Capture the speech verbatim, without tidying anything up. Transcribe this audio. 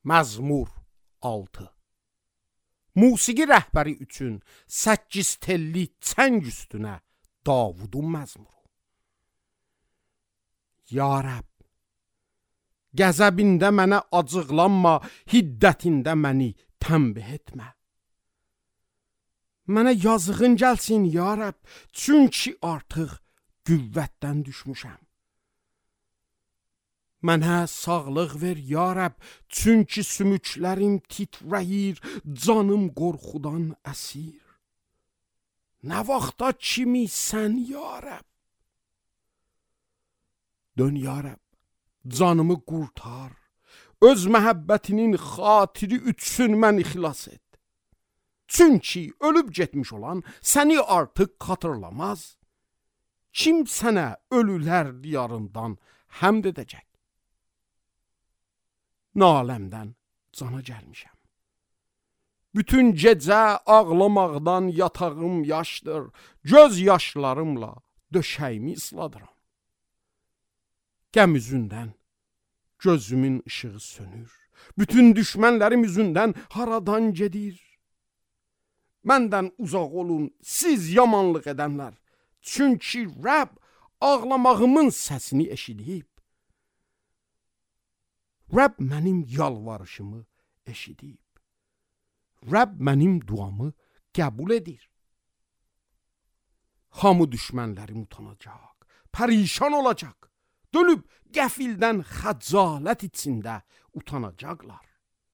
Məzmur altı. Musiqi rəhbəri üçün səkkiz telli çəng üstünə Davudun məzmuru. Ya Rəbb, qəzəbində mənə acıqlanma, hiddətində məni tənbih etmə. Mənə yazığın gəlsin, ya Rəbb, çünki artıq qüvvətdən düşmüşəm. Mənə sağlıq ver, ya Rəbb, çünki sümüklərim titrəyir, canım qorxudan əsir. Nə vaxta kimi sən, ya Rəbb? Dön, ya Rəbb, canımı qurtar, öz məhəbbətinin xatiri üçün məni xilas et. Çünki ölüb getmiş olan səni artıq xatırlamaz. Kim sənə ölülər diyarından həmd edəcək? Naləmdən cana gəlmişəm. Bütün gecə ağlamaqdan yatağım yaşdır, göz yaşlarımla döşəyimi ısladıram. Qəm üzündən gözümün ışığı sönür, bütün düşmənlərim üzündən haradan gedir. Məndən uzaq olun, siz yamanlıq edənlər, çünki Rəbb ağlamağımın səsini eşidib. Rəbb mənim yalvarışımı eşidib. Rəbb mənim duamı qəbul edir. Hamı düşmənlərim utanacaq, pərişan olacaq, dönüb qəfildən xəcalət içində utanacaqlar.